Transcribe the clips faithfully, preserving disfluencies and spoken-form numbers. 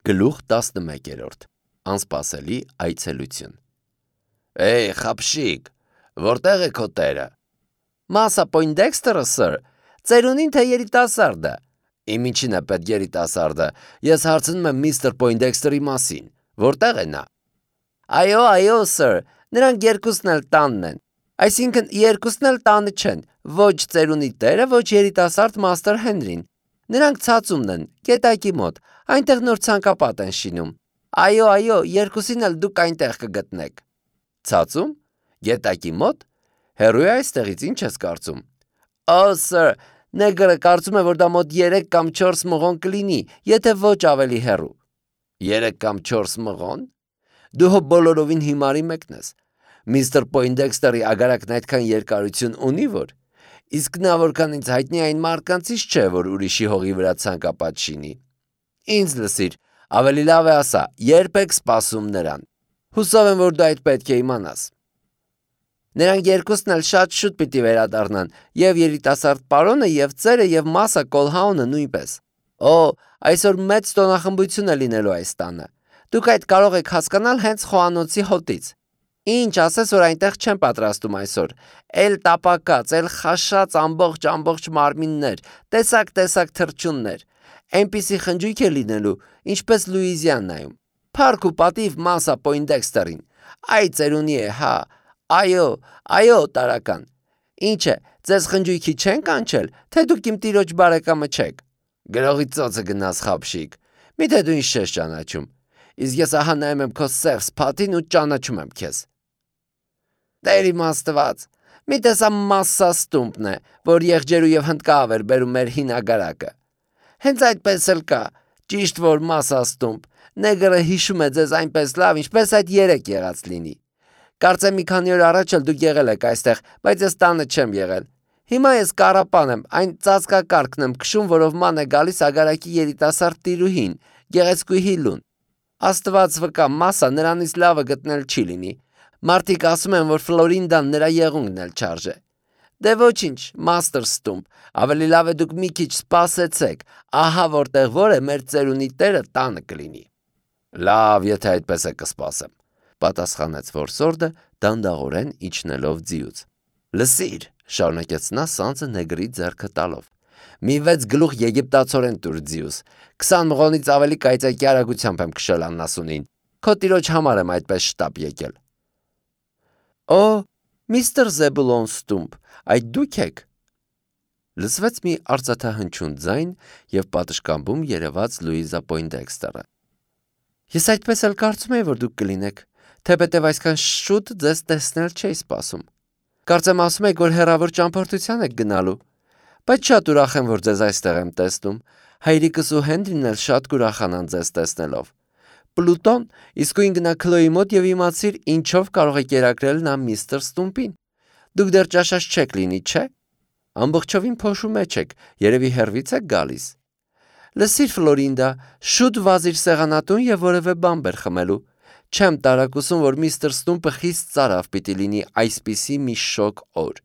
Գլուխ տասնմեկերորդ Անսպասելի այցելություն Էյ, խապշիկ, որտեղ է քո տերը։ Մասա Պոյնդեքստերը, սըր, ծերունին թե երիտասարդը։ Իմ ինչին է պետք երիտասարդը, ես հարցնում եմ միստր Պոյնդեքստերի մասին, որտեղ է նա։ Այո, այո, սըր, նրանք երկուսն էլ տանն են, այսինքն երկուսն էլ տանը չեն, ոչ ծերունի տերը, ոչ երիտասարդ մաստր Հենրին։ Նրանք ցածումն են, գետակի մոտ, այնտեղ նոր ցանկապատ են շինում։ Այո, այո, երկուսին էլ դուք այնտեղ կգտնեք։ Ցածում, գետակի մոտ, հեռու է այստեղից, ինչ ես կարծում։ Օ, սըր, նեգրը կարծում է, որ դա մոտ երեք կամ չորս մղոն կլինի, եթե ոչ ավելի հեռու։ Երեք կամ չորս մղոն։ Դու հո բոլորովին հիմարի մեկն ես։ Միստր Պոյնդեքստերի ագարակն այդքան երկարություն ունի, որ իսկ նա որքան ինձ հայտնի այն մարկանցից չէ, որ ուրիշի հողի վրա ցանկապատ շինի։ Ինձ լսիր, ավելի լավ է ասա, երբ եք սպասում նրան։ Հուսով եմ, որ դու այդ պետք է իմանաս։ Նրանք երկուսն էլ շատ շուտ պիտի վերադառնան, եւ երիտասարդ պարոնը, եւ ծերը, եւ Մասա Կոլհաունը նույնպես։ Օ, այսօր մեծ տոնախմբություն է լինելու այս տանը։ Դուք այդ կարող եք հասկանալ հենց խոհանոցի հոտից։ Ինչ ասես, որ այնտեղ չեն պատրաստում այսօր։ Էլ տապակած, էլ խաշած ամբողջ ամբողջ մարմիններ, տեսակ-տեսակ թռչուններ։ Այնպիսի խնջույք է լինելու, ինչպես Լուիզիանայում։ Փառք ու պատիվ Մասա Պոյնդեքստերին։ Այ ծերունի է, հա։ Այո, այո, տարական։ Ինչ է, ձեզ խնջույքի չեն կանչել, թե դուք իմ տիրոջ բարեկամը չեք։ Գրողի ծոցը գնաս, խապշիկ։ Միթե դու ինչ ես ճանաչում։ Իսկ ես ահա նայում եմ քո սև սփաթին ու ճանաչում եմ քեզ։ Տեր իմ Աստված, մի տեսա Մասսա Ստումպն է, որ եղջերու եւ հնդկավ էր բերում մեր հին ագարակը։ Հենց այդպես էլ կա, ճիշտ որ Մասսա Ստումպ, նեգրը հիշում է ձեզ այնպես լավ, ինչպես այդ երեք եղած լինի։ Կարծեմ մի քանի օր առաջ էլ դուք եղել եք այստեղ, բայց ես տանը չեմ եղել։ Հիմա ես կարապան եմ, այն ծածկակարգն եմ քշում, որով ման է գալիս ագարակի երիտասարդ տիրուհին, գեղեցկուհի Լուն։ Աստված վկա, Մասսա նրանից լավը գտնել չի լինի։ Մարդիկ ասում են, որ Ֆլորինդան նրա եղունգն էլ չարժե։ Դե ոչինչ, Մաստր Ստումպ, ավելի լավ է դուք մի քիչ սպասեցեք, ահա որտեղ որ է մեր ծերունի տերը տանը կլինի։ Լավ, եթե այդպես է կսպասեմ, պատասխանեց որսորդը դանդաղորեն իջնելով ձիուց։ Լսիր, շարունակեց նա սանձը նեգրի ձեռքը տալով։ Մի վեց գլուխ եգիպտացորեն տուր ձիուս, քսան մղոնից ավելի կայծակի արագությամբ եմ քշել աննասունին։ Քո տիրոջ համար եմ այդպես շտապ եկել։ Օ, միստր Զեբուլոն Ստումպ, այդ դուք եք։ Լսվեց մի արծաթահնչյուն ձայն եւ պատշգամբում երևաց Լուիզա Պոյնդեքստերը։ Ես այդպես էլ կարծում եի, որ դուք կլինեք, թեպետև այսքան շուտ ձեզ տեսնել չէի սպասում։ Կարծեմ ասում եք, որ հեռավոր ճամփորդության եք գնալու, բայց շատ ուրախ եմ, որ ձեզ այստեղ եմ տեսնում։ Հայրիկս ու Հենրին էլ շատ կուրախանան ձեզ տեսնելով։ Պլուտոն, իսկույն գնա Քլոյի մոտ եւ իմացիր ինչով կարող է կերակրել նա միստր Ստումպին։ Դուք դեռ ճաշած չեք լինի, չէ՞։ Ամբողջովին փոշու մեջ եք, երևի հեռվից եք գալիս։ Լսիր, Ֆլորինդա, շուտ վազիր սեղանատուն եւ որևէ բան բեր խմելու։ Չեմ տարակուսում, որ միստր Ստումպը խիստ ծարավ պիտի լինի այսպիսի մի շոկ օր։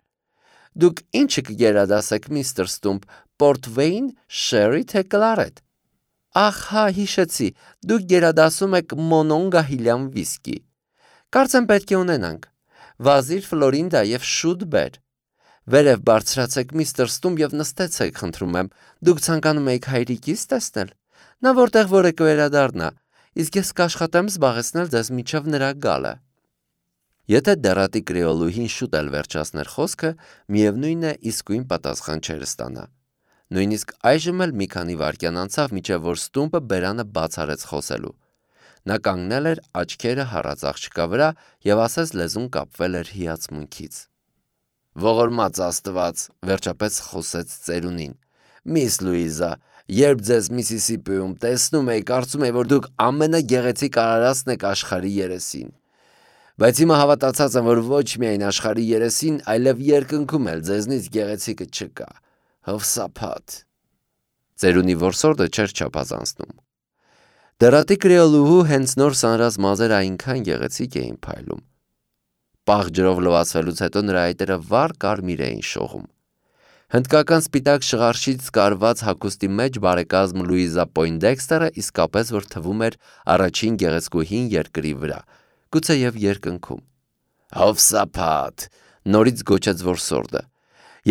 Դուք ինչը կգերադասեք, միստր Ստումպ, Պորտվեյն, Շերի թե Կլարետ։ Ահ, հա, հիշեցի, դուք գերադասում եք Մոնոնգահիլյան վիսկի։ Կարծեմ պետք է ունենանք։ Վազիր, Ֆլորինդա, եւ շուտ բեր։ Վերև բարձրացեք միստր Ստումպ եւ նստեցեք, խնդրում եմ։ Դուք ցանկանում եք հայրիկիս տեսնել։ Նա որտեղ որ է կվերադառնա, իսկ ես կաշխատեմ զբաղեցնել ձեզ միջև նրա գալը։ Եթե դեռատի կրեոլուհին շուտ էլ վերջացներ խոսքը, միևնույն է իսկույն պատասխան չէր ստանա։ Նույնիսկ այժմ էլ մի քանի վայրկյան անցավ, մինչև որ Ստումպը բերանը բաց արեց խոսելու։ Նա կանգնել էր աչքերը հառած աղջկա վրա եւ ասես լեզուն կապվել էր հիացմունքից։ Ողորմած Աստված, վերջապես խոսեց ծերունին։ Միս Լուիզա, երբ ձեզ Միսիսիպիում տեսնում էի, կարծում էի, որ դուք ամենագեղեցիկ արարածն եք աշխարհի երեսին։ Բայց հիմա հավատացած եմ, որ ոչ միայն աշխարհի երեսին, այլև երկնքում էլ ձեզնից գեղեցիկը չկա։ Հովսափաթ։ Ծերունի որսորդը չէր չափազանցնում։ Դեռատի կրեոլուհու հենց նոր սանրած մազերը այնքան գեղեցիկ էին փայլում։ Պաղ ջրով լվացվելուց հետո նրա այտերը վառ կարմիր էին շողում։ Հնդկական սպիտակ շղարշից կարված հագուստի մեջ բարեկազմ Լուիզա Պոյնդեքստերը իսկապես որ թվում էր առաջին գեղեցկուհին երկրի վրա, գուցեև երկնքում։ Հովսափաթ, նորից գոչեց որսորդը։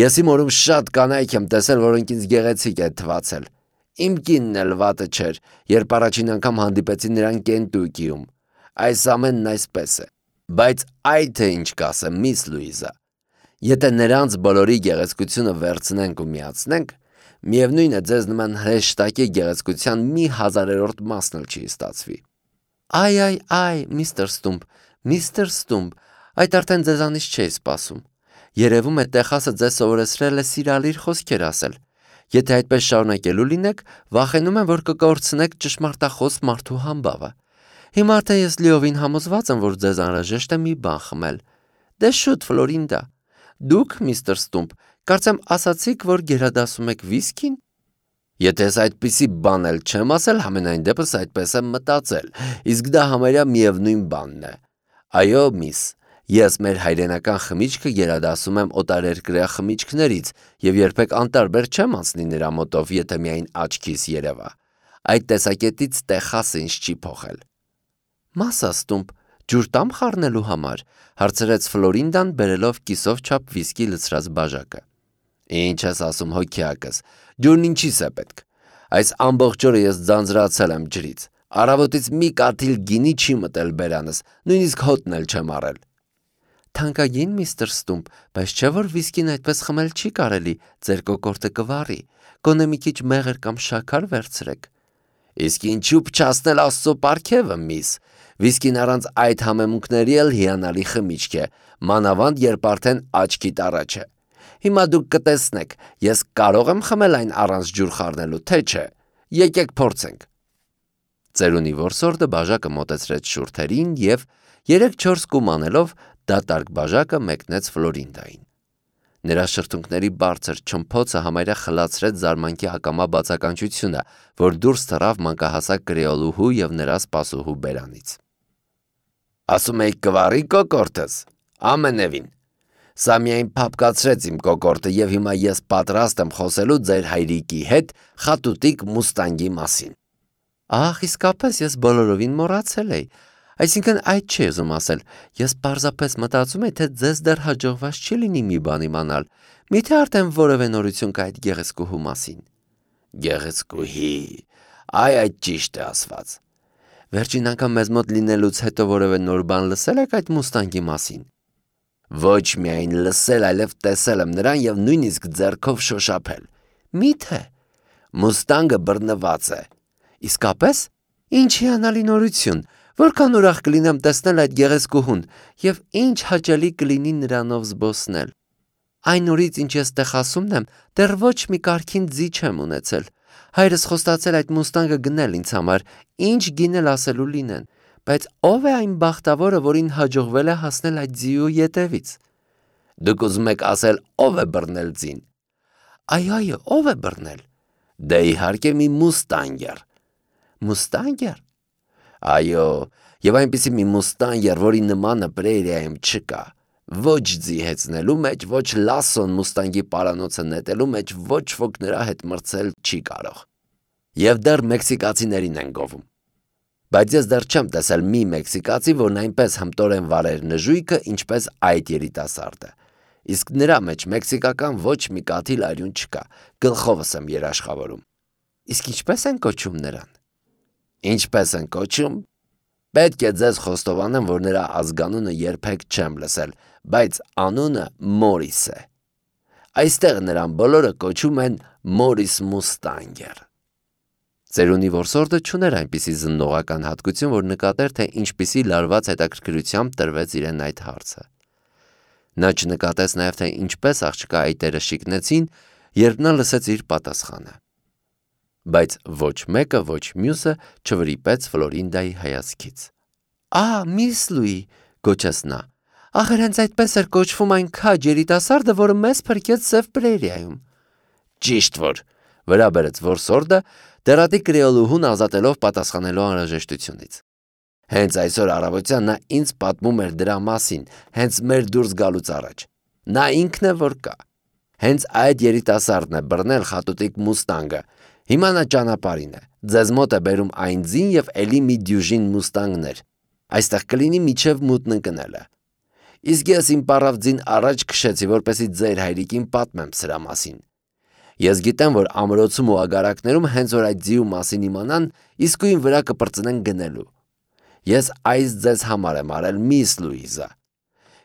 Ես իմ օրում շատ կանայք եմ տեսել, որոնք ինձ գեղեցիկ է թվացել։ Իմ կինն էլ վատը չէր, երբ առաջին անգամ հանդիպեցի նրան Կենտուկիում։ Այս ամենն այսպես է։ Բայց այ թե ինչ կասեմ, միս Լուիզա։ Եթե նրանց բոլորի գեղեցկությունը վերցնենք ու միացնենք, միևնույն է ձեզ նման հրեշտակի գեղեցկության մի հազարերորդ մասն էլ չի ստացվի։ Այ այ այ, միստր Ստումպ, միստր Ստումպ, այդ արդեն ձեզանից չէի սպասում։ Երևում է Տեխասը ձեզ սովորեցրել է սիրալիր խոսքեր ասել։ Եթե այդպես շարունակելու լինեք, վախենում եմ, որ կկորցնեք ճշմարտախոս մարդու համբավը։ Հիմա արդեն ես լիովին համոզված եմ, որ ձեզ անհրաժեշտ է մի բան խմել։ Դե շուտ, Ֆլորինդա։ Դուք, միստր Ստումպ, կարծեմ ասացիք, որ գերադասում եք վիսկին։ Եթե ես այդպիսի բան էլ չեմ ասել, համենայն դեպս այդպես եմ մտածել, իսկ դա համարյա միևնույն բանն է։ Այո, միս, ես մեր հայրենական խմիչքը գերադասում եմ օտարերկրյա խմիչքներից եւ երբեք անտարբեր չեմ անցնի նրա մոտով, եթե միայն աչքիս երևա։ Այդ տեսակետից Տեխասը ինձ չի փոխել։ Մասա Ստումպ, ջուր տամ խառնելու համար, հարցրեց Ֆլորինդան բերելով կիսով չափ վիսկի լցրած բաժակը։ Ինչ ես ասում հոգիակս, ջուրն ինչիս է պետք։ Այս ամբողջ օրը ես ձանձրացել եմ ջրից։ Առավոտից մի կաթիլ գինի չի մտել բերանս, նույնիսկ հոտն էլ չեմ առել։ Թանկագին միստր Ստումպ, բայց չէ որ վիսկին այդպես խմել չի կարելի, ձեր կոկորտը կվառի, գոնե մի քիչ մեղր կամ շաքար վերցրեք։ Իսկ ինչու փչացնել Աստծո պարգևը, միս։ Վիսկին առանց այդ համեմունքների էլ հիանալի խմիչք է, մանավանդ երբ արդեն աչքիդ առաջ է։ Հիմա դուք կտեսնեք, ես կարող եմ խմել այն առանց ջուր խառնելու, թե չէ։ Եկեք փորձենք։ Ծերունի որսորդը բաժակը մոտեցրեց շուրթերին եւ երեք-չորս կում անելով դատարկ բաժակը մեկնեց Ֆլորինդային։ Նրա շրթունքների բարձր չմփոցը համարյա խլացրեց զարմանքի ակամա բացականչությունը, որ դուրս թռավ մանկահասակ կրեոլուհու եւ նրա սպասուհու բերանից։ Ասում եք կվարի կոկորտս, ամենևին։ Սա միայն փափկացրեց իմ կոկորտը եւ հիմա ես պատրաստ եմ խոսելու ձեր հայրիկի հետ խատուտիկ մուստանգի մասին։ Ահ, իսկապես ես բոլորովին մոռացել էի։ Այսինքն այդ չի ուզում ասել, ես պարզապես մտածում եմ, թե ձեզ դեռ հաջողված չի լինի մի բան իմանալ, միթե արդեն որևէ նորություն կա այդ գեղեցկուհու մասին։ Գեղեցկուհի, այ այդ ճիշտ է ասված։ Վերջին անգամ մեզ մոտ լինելուց հետո որևէ նոր բան լսել եք այդ մուստանգի մասին։ Ոչ միայն լսել, այլև տեսել եմ նրան եւ նույնիսկ ձեռքով շոշափել։ Միթե։ Մուստանգը բռնված է։ Իսկապես, ինչ հիանալի նորություն։ Որքան ուրախ կլինեմ տեսնել այդ գեղեցկուհուն եւ ինչ հաճելի կլինի նրանով զբոսնել։ Այն օրից ինչ ես Տեխասումն եմ, դեռ ոչ մի կարքին ձի չեմ ունեցել։ Հայրս խոստացել այդ մուստանգը գնել ինձ համար, ինչ գինել ասելու լինեն, բայց ով է այն բախտավորը, որին հաջողվել է հասնել այդ ձիու ետևից։ Դուք ուզում եք ասել ով է բռնել ձին։ Այո, այո, ով է բռնել։ Դե իհարկե մի մուստանգեր։ Մուստանգեր։ Այո, եւ այնպիսի մի մուստանգեր, որի նմանը պրերիայում չկա։ Ոչ ձի հեծնելու մեջ, ոչ լասոն մուստանգի պարանոցը նետելու մեջ ոչ ոք նրա հետ մրցել չի կարող։ Եվ դեռ մեքսիկացիներին են գովում։ Բայց ես դեռ չեմ տեսել մի մեքսիկացի, որն այնպես հմտորեն վարեր նժույգը, ինչպես այդ երիտասարդը։ Իսկ նրա մեջ մեքսիկական ոչ մի կաթիլ արյուն չկա, գլխովս եմ երաշխավորում։ Իսկ ինչպես են կոչում նրան։ Ինչպես են կոչում։ Պետք է ձեզ խոստովանեմ, որ նրա ազգանունը երբեք չեմ լսել, բայց անունը Մորիս է։ Այստեղ նրան բոլորը կոչում են Մորիս Մուստանգեր։ Ծերունի որսորդը չուներ այնպիսի զննողական հատկություն, որ նկատեր, թե ինչպիսի լարված հետաքրքրությամբ տրվեց իրեն այդ հարցը։ Նա չնկատեց նաև, թե ինչպես աղջկա այտերը շիկնեցին, երբ նա լսեց իր պատասխանը։ Բայց ոչ մեկը, ոչ մյուսը չվրիպեց Ֆլորինդայի հայացքից։ Ահա, միս Լուի, գոչեց նա, ախր հենց այդպես էր կոչվում այն քաջ երիտասարդը, որը մեզ փրկեց Սև Պրերիայում։ Ճիշտ որ, վրա բերեց որսորդը, դերատի կրեոլուհուն ազատելով պատասխանելու անհրաժեշտությունից։ Հենց այսօր առավոտյան նա ինձ պատմում էր դրա մասին, հենց մեր դուրս գալուց առաջ։ Նա ինքն է որ կա։ Հենց այդ երիտասարդն է բռնել խատուտիկ մուստանգը։ Հիմա նա ճանապարհին է։ Ձեզ մոտ է բերում այն ձին եւ էլի մի դյուժին մուստանգներ։ Այստեղ կլինի միջև մութն ընկնելը։ Իսկ ես իմ պարավ ձին առաջ քշեցի, որպեսզի ձեր հայրիկին պատմեմ սրա մասին։ Ես գիտեմ, որ ամրոցում ու ագարակներում հենց որ այդ ձիու մասին իմանան, իսկույն վրա կպրծնեն գնելու։ Ես այս ձեզ համար եմ արել, միս Լուիզա։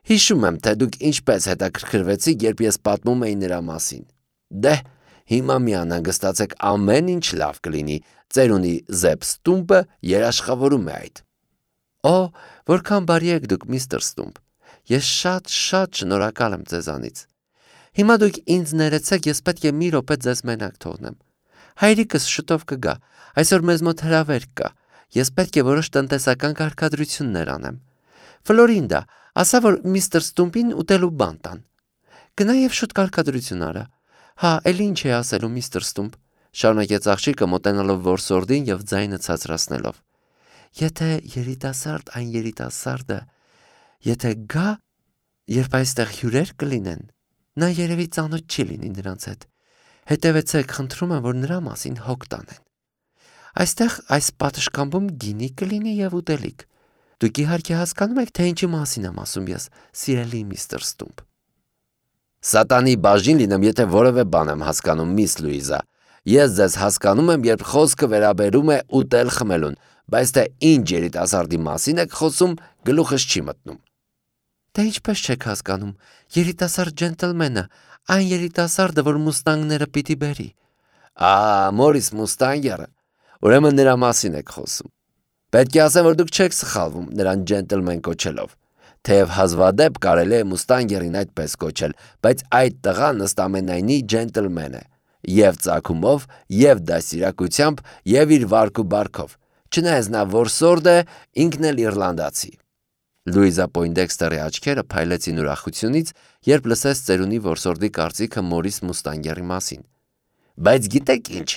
Հիշում եմ, թե դուք ինչպես հետաքրքրվեցիք, երբ ես պատմում էի նրա մասին։ Դե, հիմա մի անհանգստացեք, ամեն ինչ լավ կլինի, ծերունի Զեփ Ստումպը երաշխավորում է այդ։ Օ, որքան բարի եք դուք, միստր Ստումպ։ Ես շատ-շատ շնորհակալ եմ ձեզանից։ Հիմա դուք ինձ ներեցեք, ես պետք է մի րոպե ձեզ մենակ թողնեմ։ Հայրիկս շուտով կգա, այսօր մեզ մոտ հրավեր կա, ես պետք է որոշ տնտեսական կարգադրություններ անեմ։ Ֆլորինդա, ասա, որ միստր Ստումպին ուտելու բան տան։ Գնա եւ շուտ կարգադրություն արա։ Հա, էլի ինչ է ասելու միստր Ստումպ, շարունակեց աղջիկը մոտենալով որսորդին եւ ձայնը ցածրացնելով։ Եթե երիտասարդ այն երիտասարդը, եթե գա, երբ այստեղ հյուրեր կլինեն, նա երևի ծանոթ չի լինի նրանց հետ։ Հետևեցեք, խնդրում եմ, որ նրա մասին հոգ տանեն։ Այստեղ այս պատշգամբում գինի կլինի եւ ուտելիք։ Դուք իհարկե հասկանում եք, թե ինչի մասին եմ ասում ես, սիրելի միստր Ստումպ։ Սատանի բաժին լինեմ, եթե որևէ բան եմ հասկանում, միս Լուիզա։ Ես ձեզ հասկանում եմ, երբ խոսքը վերաբերում է ուտել խմելուն, բայց թե ինչ երիտասարդի մասին եք խոսում, գլուխս չի մտնում։ Դե ինչպես չեք հասկանում, երիտասարդ ջենտլմենը, այն երիտասարդը, որ մուստանգները պիտի բերի։ Ա, Մորիս Մուստանգերը, ուրեմն նրա մասին եք խոսում։ Պետք է ասեմ, որ դուք չեք սխալվում նրան ջենտլմեն կոչելով։ Թեև հազվադեպ կարելի է Մուստանգերին այդպես կոչել, բայց այդ տղան ըստամենայնի ջենտլմեն է, եւ ծագումով, եւ դասիրակությամբ, եւ իր վարք ու բարքով։ Չնայած նա որսորդ է, ինքն էլ իռլանդացի։ Լուիզա Պոյնդեքստերի աչքերը փայլեցին ուրախությունից, երբ լսեց ծերունի որսորդի կարծիքը Մորիս Մուստանգերի մասին։ Բայց գիտեք ինչ,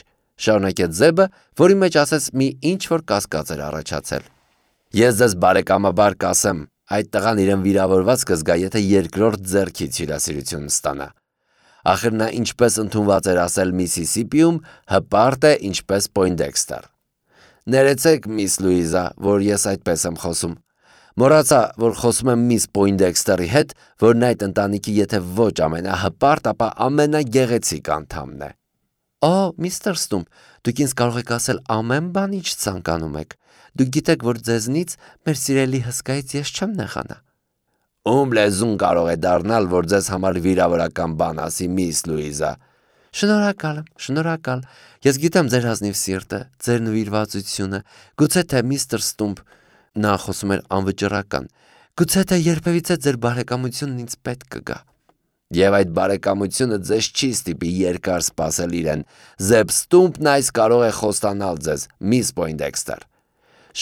շարունակեց Զեբը, որի մեջ ասես մի ինչ-որ կասկած էր առաջացել։ Ես ձեզ բարեկամաբար կասեմ, այդ տղան իրեն վիրավորված կզգա, եթե երկրորդ ձեռքից հյուրասիրություն ստանա։ Ախր նա ինչպես ընդունված էր ասել Միսիսիպիում, հպարտ է ինչպես Պոյնդեքստեր։ Ներեցեք, միս Լուիզա, որ ես այդպես եմ խոսում։ Մոռացա, որ խոսում եմ միս Պոյնդեքստերի հետ, որն այդ ընտանիքի եթե ոչ ամենահպարտ, ապա ամենագեղեցիկ անդամն է։ Օ, միստր Ստումպ, դուք ինձ կարող եք ասել ամեն բան, ինչ ցանկանում եք։ Դուք գիտեք, որ ձեզնից մեր սիրելի հսկայից ես չեմ նեղանա։ Ում լեզուն կարող է դառնալ, որ ձեզ համար վիրավորական բան ասի, միս Լուիզա։ Շնորհակալ եմ, շնորհակալ։ Ես գիտեմ ձեր ազնիվ սիրտը, ձեր նվիրվածությունը։ Գուցե թե միստր Ստումպ, նա խոսում էր անվճռական, գուցե թե երբևիցե ձեր բարեկամությունն ինձ պետք կգա։ Եվ այդ բարեկամությունը ձեզ չի ստիպի երկար սպասել իրեն։ Զեփ Ստումպն այս կարող է խոստանալ ձեզ, միս Պոյնդեքստեր։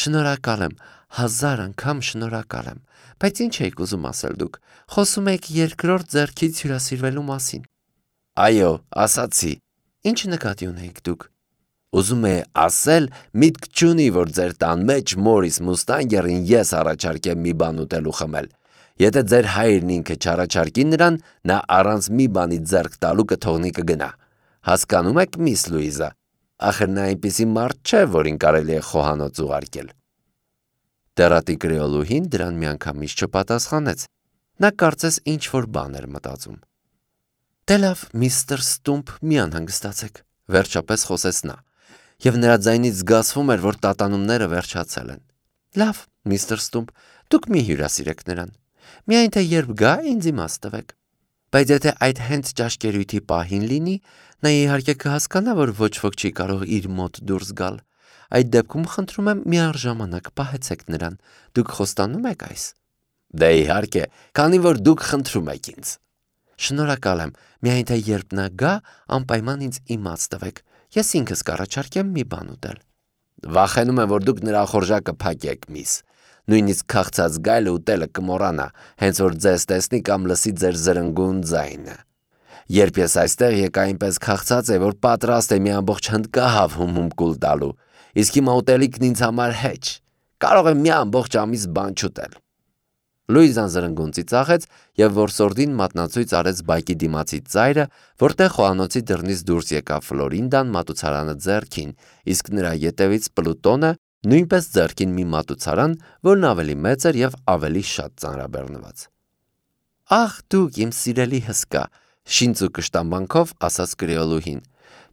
Շնորհակալ եմ, հազար անգամ շնորհակալ եմ։ Բայց ինչ եք ուզում ասել դուք։ Խոսում եք երկրորդ ձեռքից հյուրասիրվելու մասին։ Այո, ասացի։ Ինչ նկատի ունեիք դուք։ Ուզում է ասել, միտք չունի, որ ձեր տան մեջ Մորիս Մուստանգերին ես առաջարկեմ մի բան ուտելու խմել։ Եթե ձեր հայրն ինքը չառաջարկի նրան, նա առանց մի բանի ձեռք տալու կթողնի կգնա։ Հասկանում եք, միս Լուիզա։ Ախր նա այնպիսի մարդ չէ, որին կարելի է խոհանոց ուղարկել։ Տերատի կրեոլուհին դրան միանգամից չպատասխանեց։ Նա կարծես ինչ-որ բան էր մտածում։ Դե լավ, միստր Ստումպ, մի անհանգստացեք, վերջապես խոսեց նա, եւ նրա ձայնից զգացվում էր, որ տատանումները վերջացել են։ Լավ, միստր Ստումպ, դուք մի հյուրասիրեք նրան։ Միայն թե երբ գա, ինձ իմաց տվեք։ Բայց եթե այդ հենց ճաշկերույթի պահին լինի, նա իհարկե կհասկանա, որ ոչ ոք չի կարող իր մոտ դուրս գալ։ Այդ դեպքում խնդրում եմ միառժամանակ պահեցեք նրան։ Դուք խոստանում եք այս։ Դե իհարկե, քանի որ դուք խնդրում եք ինձ։ Շնորհակալ եմ, միայն թե երբ նա գա, անպայման ինձ իմաց տվեք։ Ես ինքս կառաջարկեմ մի բան ուտել։ Վախենում եմ, որ դուք նրա խորժակը փակեք, միս։ Նույնիսկ քաղցած գայլը ուտելը կմոռանա, հենց որ ձեզ տեսնի կամ լսի ձեր զրնգուն ձայնը։ Երբ ես այստեղ եկա այնպես քաղցած է, որ պատրաստ է մի ամբողջ հնդկահավ հում-հում կուլ տալու, իսկ հիմա ուտելիքն ինձ համար հեչ։ Կարող եմ մի ամբողջ ամիս բան չուտել։ Լուիզան զրնգուն ծիծաղեց և որսորդին մատնացույց արեց բակի դիմացի ծայրը, որտեղ խոհանոցի դռնից դուրս եկավ Ֆլորինդան մատուցարանը ձեռքին, իսկ նրա ետևից Պլուտոնը նույնպես ձեռքին մի մատուցարան, որն ավելի մեծ էր և ավելի շատ ծանրաբեռնված։ «Ախ դուք իմ սիրելի հսկա», շինծ ու կշտամբանքով ասաց կրեոլուհին,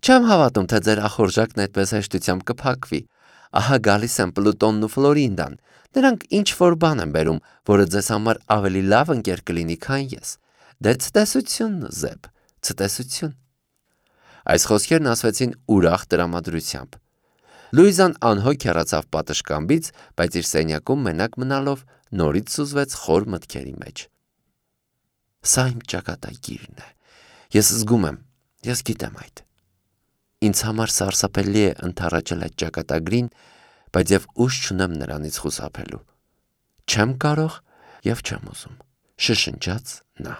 «չեմ հավատում, թե ձեր ախորժակն այդպես հեշտությամբ կփակվի։ Ահա գալիս են Պլուտոնն ու Ֆլորինդան, նրանք ինչ-որ բան են բերում, որը ձեզ համար ավելի լավ ընկեր կլինի, քան ես։ Դե ցտեսություն, Զեբ, ցտեսություն»։ Այս խոսքերն ասվեցին ուրախ տրամադրությամբ։ Լուիզան անհոգ հեռացավ պատշգամբից, բայց իր սենյակում մենակ մնալով նորից սուզվեց խոր մտքերի մեջ։ Սա իմ ճակատագիրն է։ Ես զգում եմ, ես գիտեմ այդ։ Ինձ համար սարսափելի է ընդառաջել այդ ճակատագրին, բայց և ուժ չունեմ նրանից խուսափելու։ Չեմ կարող և չեմ ուզում, շշնջաց նա։